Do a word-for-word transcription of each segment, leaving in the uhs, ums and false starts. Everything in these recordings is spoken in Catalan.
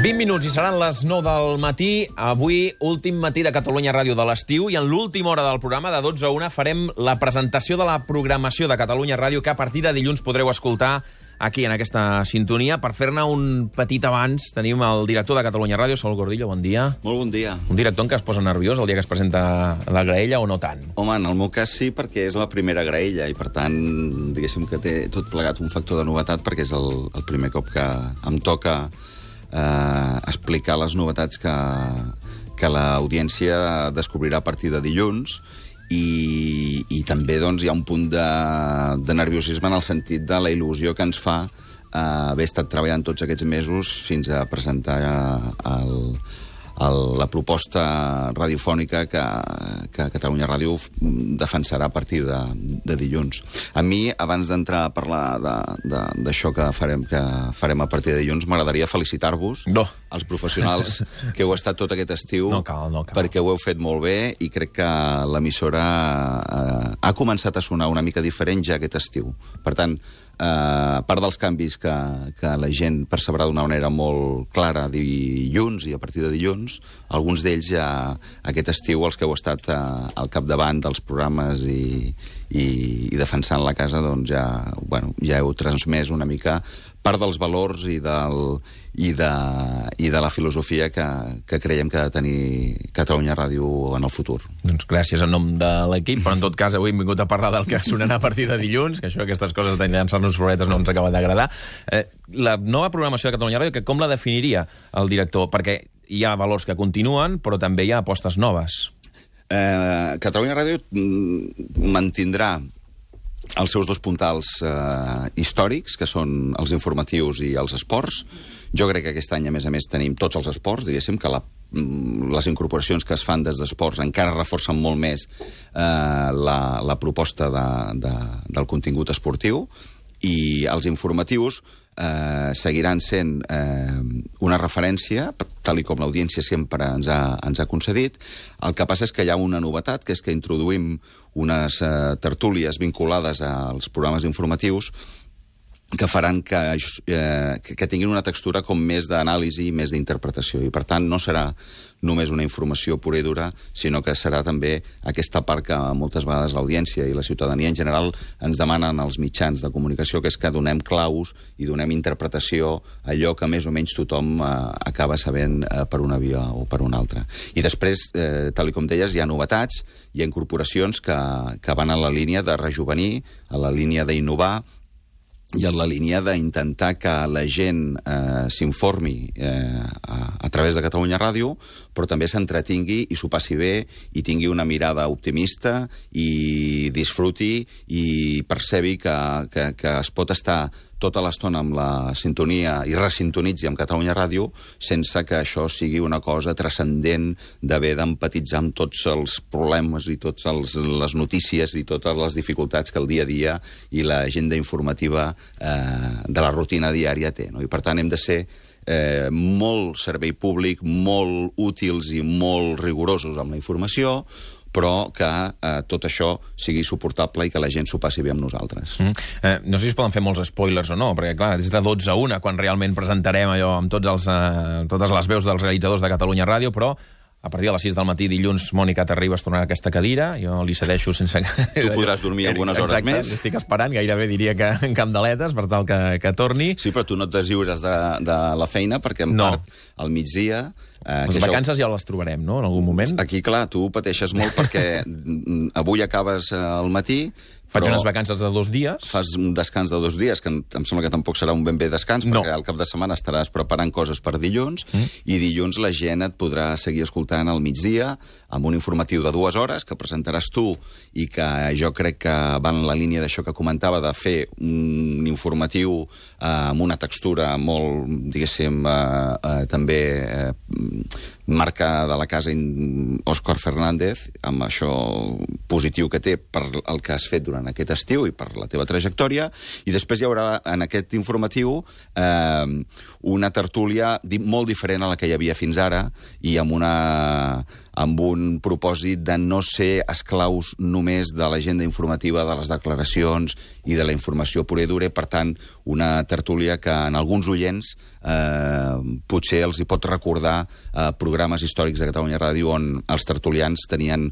vint minuts i seran les nou del matí. Avui, últim matí de Catalunya Ràdio de l'estiu, i en l'última hora del programa, de dotze a una, farem la presentació de la programació de Catalunya Ràdio, que a partir de dilluns podreu escoltar aquí, en aquesta sintonia. Per fer-ne un petit abans, tenim el director de Catalunya Ràdio, Saúl Gordillo, bon dia. Molt bon dia. Un director en què es posa nerviós el dia que es presenta la graella, o no tant? Home, en el meu cas sí, perquè és la primera graella i, per tant, diguéssim que té tot plegat un factor de novetat, perquè és el, el primer cop que em toca eh, explicar les novetats que, que l'audiència descobrirà a partir de dilluns. I, i també doncs, hi ha un punt de, de nerviosisme en el sentit de la il·lusió que ens fa eh, haver estat treballant tots aquests mesos fins a presentar el, el, la proposta radiofònica que, que Catalunya Ràdio defensarà a partir de, de dilluns. A mi, abans d'entrar a parlar d'això que farem, que farem a partir de dilluns, m'agradaria felicitar-vos, no. els professionals que heu estat tot aquest estiu, no cal, no cal. perquè ho heu fet molt bé i crec que l'emissora eh, ha començat a sonar una mica diferent ja aquest estiu. Per tant, eh, a part dels canvis que, que la gent percebrà d'una manera molt clara dilluns i a partir de dilluns, alguns d'ells ja aquest estiu, els que heu estat eh, al capdavant dels programes i, i, i defensant la casa, doncs ja, bueno, ja heu transmès una mica part dels valors i, del, i, de, i de la filosofia que, que creiem que ha de tenir Catalunya Ràdio en el futur. Doncs gràcies en nom de l'equip, però en tot cas avui hem vingut a parlar del que sonarà a partir de dilluns, que això, aquestes coses de llançar-nos floretes no ens acaba d'agradar. Eh, la nova programació de Catalunya Ràdio, que com la definiria el director? Perquè hi ha valors que continuen, però també hi ha apostes noves. Eh, Catalunya Ràdio mantindrà els seus dos puntals eh, històrics, que són els informatius i els esports. Jo crec que aquest any, a més a més, tenim tots els esports, diguéssim, que la, les incorporacions que es fan des d'esports encara reforcen molt més eh, la, la proposta de, de, del contingut esportiu, i els informatius eh, seguiran sent eh, una referència, tal i com l'audiència sempre ens ha, ens ha concedit. El que passa és que hi ha una novetat, que és que introduïm unes eh, tertúlies vinculades als programes informatius que faran que, eh, que tinguin una textura com més d'anàlisi i més d'interpretació. I, per tant, no serà només una informació pura i dura, sinó que serà també aquesta part que moltes vegades l'audiència i la ciutadania en general ens demanen als mitjans de comunicació, que és que donem claus i donem interpretació a allò que més o menys tothom eh, acaba sabent eh, per una via o per una altra. I després, eh, tal com deies, hi ha novetats, hi ha incorporacions que, que van a la línia de rejuvenir, a la línia d'innovar, i en la línia d'intentar que la gent eh, s'informi eh, a, a través de Catalunya Ràdio, però també s'entretingui i s'ho passi bé i tingui una mirada optimista i disfruti i percebi que, que, que es pot estar tota l'estona amb la sintonia i resintonitzi amb Catalunya Ràdio sense que això sigui una cosa transcendent d'haver d'empatitzar amb tots els problemes i totes les notícies i totes les dificultats que el dia a dia i l'agenda informativa eh, de la rutina diària té, no? I per tant hem de ser eh, molt servei públic, molt útils i molt rigorosos amb la informació, però que eh, tot això sigui suportable i que la gent s'ho passi bé amb nosaltres. Mm. Eh, no sé si es poden fer molts spoilers o no, perquè, clar, des de dotze a una, quan realment presentarem allò amb tots els, eh, totes les veus dels realitzadors de Catalunya Ràdio, però a partir de les sis del matí, dilluns, Mònica t'arribes a tornar a aquesta cadira, jo li cedeixo sense... Tu podràs dormir algunes hores Exacte, més. Estic esperant, gairebé diria que en candeletes, per tal que, que torni. Sí, però tu no et deslliures de, de la feina, perquè en no. part, al migdia... Eh, les vacances això... ja les trobarem, no?, en algun moment. Aquí, clar, tu pateixes molt perquè avui acabes al matí... Faig però unes vacances de dos dies. Fas un descans de dos dies, que em, em sembla que tampoc serà un ben bé descans, no. perquè al cap de setmana estaràs preparant coses per dilluns, mm. i dilluns la gent et podrà seguir escoltant al migdia, amb un informatiu de dues hores, que presentaràs tu, i que jo crec que va en la línia d'això que comentava, de fer un informatiu eh, amb una textura molt, diguéssim, eh, eh, també... Eh, marca de la casa Òscar Fernández, amb això positiu que té per el que has fet durant aquest estiu i per la teva trajectòria, i després hi haurà en aquest informatiu eh, una tertúlia molt diferent a la que hi havia fins ara, i amb una, amb un propòsit de no ser esclaus només de l'agenda informativa, de les declaracions i de la informació pura i dura. Per tant, una tertúlia que en alguns oients eh, potser els hi pot recordar eh, programes històrics de Catalunya Ràdio on els tertulians tenien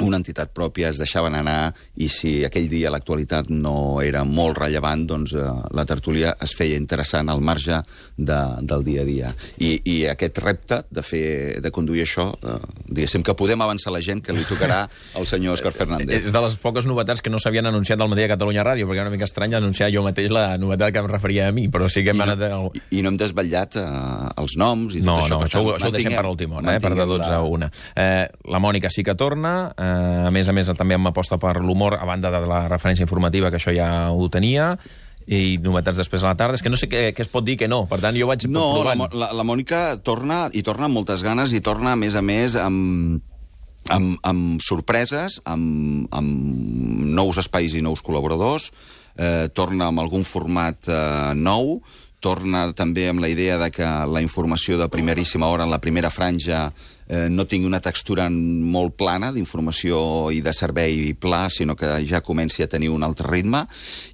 una entitat pròpia, es deixaven anar, i si aquell dia l'actualitat no era molt rellevant, doncs eh, la tertúlia es feia interessant al marge de, del dia a dia. I, i aquest repte de fer, de conduir això, eh, diguéssim que podem avançar la gent que li tocarà al senyor Òscar Fernández. És de les poques novetats que no s'havien anunciat al matí de Catalunya Ràdio, perquè era una mica estrany anunciar jo mateix la novetat que em referia a mi, però sí que hem I anat... No, i, I no hem desvetllat eh, els noms i tot no, això. No, per això, tant, això ho deixem per l'última hora, eh, per de dotze a una. Eh, la Mònica sí que torna, eh, a més a més també amb aposta per l'humor, a banda de la referència informativa, que això ja ho tenia, i novetats després a la tarda. És que no sé què, què es pot dir que no, per tant jo vaig no, provant. No, la, la, la Mònica torna, i torna amb moltes ganes, i torna, a més a més, amb, amb, amb sorpreses, amb, amb nous espais i nous col·laboradors, eh, torna amb algun format eh, nou, torna també amb la idea de que la informació de primeríssima hora, en la primera franja, eh, no tingui una textura molt plana d'informació i de servei pla, sinó que ja comenci a tenir un altre ritme,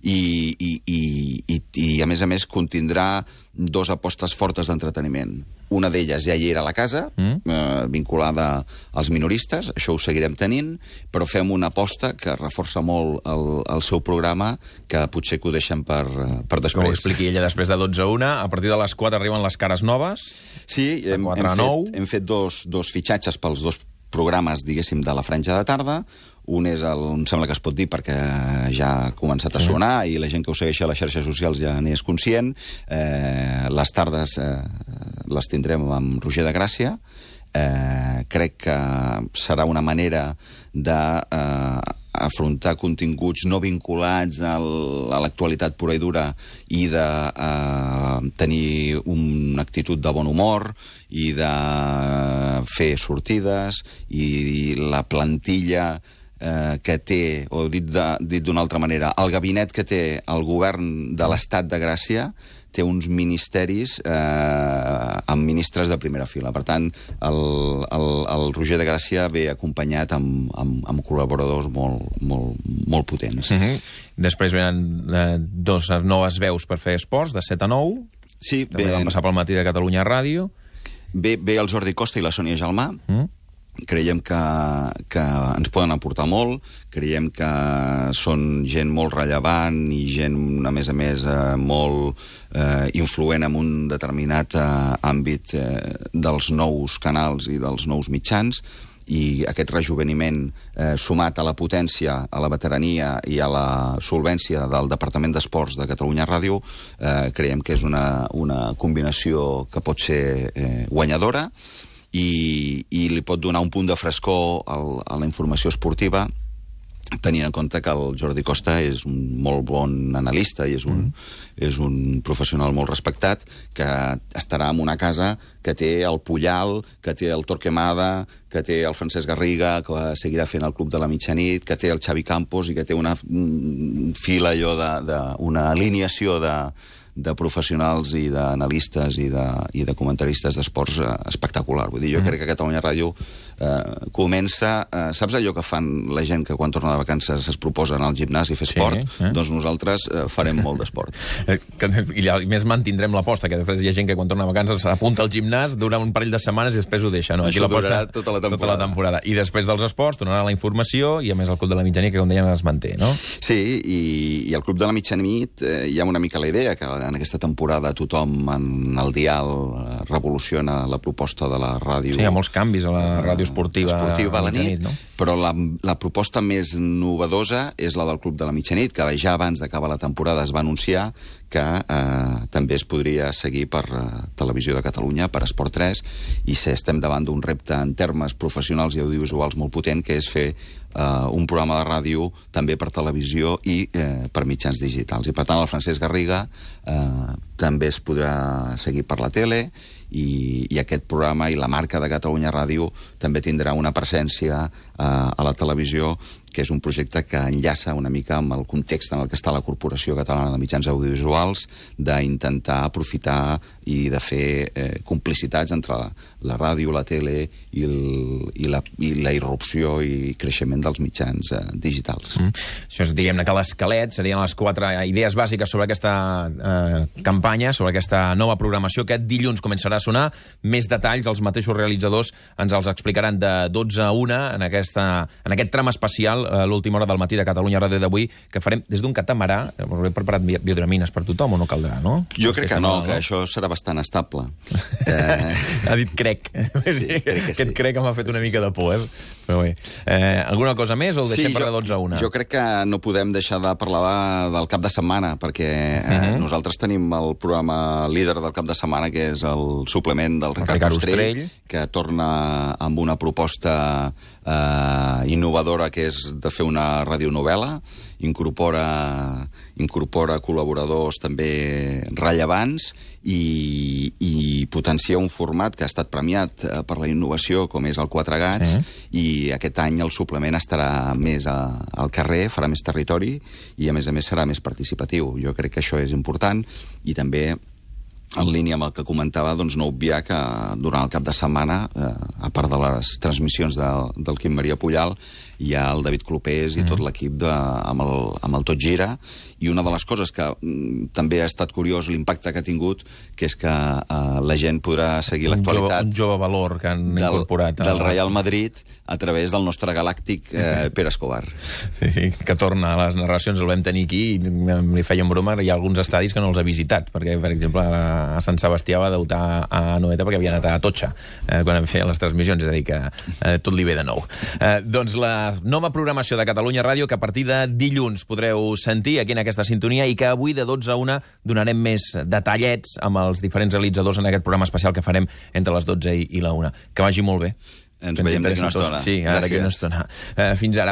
i, i, i, i, i a més a més contindrà dos apostes fortes d'entreteniment. Una d'elles ja hi era a la casa, mm. eh, vinculada als minoristes, això ho seguirem tenint, però fem una aposta que reforça molt el, el seu programa, que potser que ho deixem per, per després. Que ho expliqui ella després de dotze a una. A partir de les quatre arriben les cares noves. Sí, hem, hem, fet, hem fet dos, dos fitxatges pels dos programes, diguéssim, de la franja de tarda. Un és el, em sembla que es pot dir perquè ja ha començat a sonar i la gent que ho segueix a les xarxes socials ja n'és conscient. Eh, les tardes eh, les tindrem amb Roger de Gràcia. Eh, crec que serà una manera de eh, afrontar continguts no vinculats al, a l'actualitat pura i dura, i de eh, tenir una actitud de bon humor i de fer sortides, i la plantilla eh, que té, o dit d'una altra manera, el gabinet que té el govern de l'Estat de Gràcia té uns ministeris eh, amb ministres de primera fila. Per tant, el, el, el Roger de Gràcia ve acompanyat amb, amb, amb col·laboradors molt, molt, molt potents. Mm-hmm. Després venen eh, dos noves veus per fer esports, de set a nou. Sí, també ve, van passar pel matí de Catalunya Ràdio. Ve, ve el Jordi Costa i la Sònia Gelmà. Mm. Creiem que, que ens poden aportar molt, creiem que són gent molt rellevant i gent, a més a més, eh, molt eh, influent en un determinat eh, àmbit eh, dels nous canals i dels nous mitjans, i aquest rejuveniment eh, sumat a la potència, a la veterania i a la solvència del Departament d'Esports de Catalunya Ràdio, eh, creiem que és una, una combinació que pot ser eh, guanyadora, i, i li pot donar un punt de frescor al, a la informació esportiva, tenint en compte que el Jordi Costa és un molt bon analista i és un, mm. és un professional molt respectat, que estarà en una casa que té el Puyal, que té el Torquemada, que té el Francesc Garriga, que seguirà fent el Club de la Mitjanit, que té el Xavi Campos i que té una fila allò de, de, una alineació de de professionals i d'analistes i de, i de comentaristes d'esports eh, espectacular. Vull dir, jo mm. crec que Catalunya Ràdio eh, comença... Eh, saps allò que fan la gent que quan torna de vacances es proposa anar al gimnàs i fer esport? Sí, eh? Doncs nosaltres eh, farem molt d'esport. I a més mantindrem l'aposta, que després hi ha gent que quan torna de vacances s'apunta al gimnàs, dura un parell de setmanes i després ho deixa. No? Aquí això durarà tota la, tota la temporada. I després dels esports tornarà la informació i a més el Club de la Mitjanit, que com dèiem es manté, no? Sí, i, i el Club de la Mitjanit eh, hi ha una mica la idea que en aquesta temporada tothom en el dial revoluciona la proposta de la ràdio. Sí, hi ha molts canvis a la ràdio esportiva, esportiva a la nit, nit no? Però la, la proposta més novedosa és la del Club de la Mitjanit, que ja abans d'acabar la temporada es va anunciar que eh, també es podria seguir per eh, Televisió de Catalunya, per Esport tres, i si estem davant d'un repte en termes professionals i audiovisuals molt potent, que és fer eh, un programa de ràdio també per televisió i eh, per mitjans digitals. I per tant el Francesc Garriga eh, també es podrà seguir per la tele, i, i aquest programa i la marca de Catalunya Ràdio també tindrà una presència eh, a la televisió, que és un projecte que enllaça una mica amb el context en el que està la Corporació Catalana de Mitjans Audiovisuals, d'intentar aprofitar i de fer eh, complicitats entre la, la ràdio, la tele i, el, i, la, i la irrupció i creixement dels mitjans eh, digitals. Mm. Això és, diguem-ne, que l'esquelet serien les quatre idees bàsiques sobre aquesta eh, campanya, sobre aquesta nova programació. Aquest dilluns començarà a sonar. Més detalls, els mateixos realitzadors ens els explicaran de dotze a una en, aquesta, en aquest tram especial, a l'última hora del matí de Catalunya Ràdio d'avui, que farem des d'un catamarà. He preparat biodramines per tothom o no caldrà, no? Jo crec que, que no, no, que això serà bastant estable. eh... Ha dit crec. Sí, crec que Aquest sí. crec que m'ha fet una mica de por, eh? Però bé. Eh, alguna cosa més o el deixem sí, per a dotze a una? Jo crec que no podem deixar de parlar de, del cap de setmana, perquè eh, uh -huh. nosaltres tenim el programa líder del cap de setmana, que és el suplement del Ricard, Ricard Ostrell, Ostrell, que torna amb una proposta eh, innovadora, que és de fer una radionovel·la. Incorpora, incorpora col·laboradors també rellevants i, i potencia un format que ha estat premiat eh, per la innovació, com és el Quatre Gats, uh-huh. i aquest any el suplement estarà més a, al carrer, farà més territori i, a més a més, serà més participatiu. Jo crec que això és important i també, en línia amb el que comentava, doncs no obviar que durant el cap de setmana, eh, a part de les transmissions de, del Quim Maria Pujal, hi ha el David Clopés i mm. tot l'equip amb, el, amb el Tot Gira, i una de les coses que mm, també ha estat curiós l'impacte que ha tingut, que és que eh, la gent podrà seguir l'actualitat... Un jove valor que han del, incorporat. A... Del Real Madrid a través del nostre galàctic eh, Pere Escobar. Sí, sí, que torna a les narracions, el vam tenir aquí, i li feien broma, hi ha alguns estadis que no els ha visitat, perquè, per exemple, a Sant Sebastià va debutar a Noeta perquè havia anat a Totxa eh, quan feien les transmissions, és a dir, que eh, tot li ve de nou. Eh, doncs la nova programació de Catalunya Ràdio, que a partir de dilluns podreu sentir aquí en aquesta sintonia, i que avui de dotze a una donarem més detallets amb els diferents realitzadors en aquest programa especial que farem entre les dotze i la una. Que vagi molt bé. Ens veiem d'aquí una estona. Sí, ara d'aquí una estona. Eh, fins ara.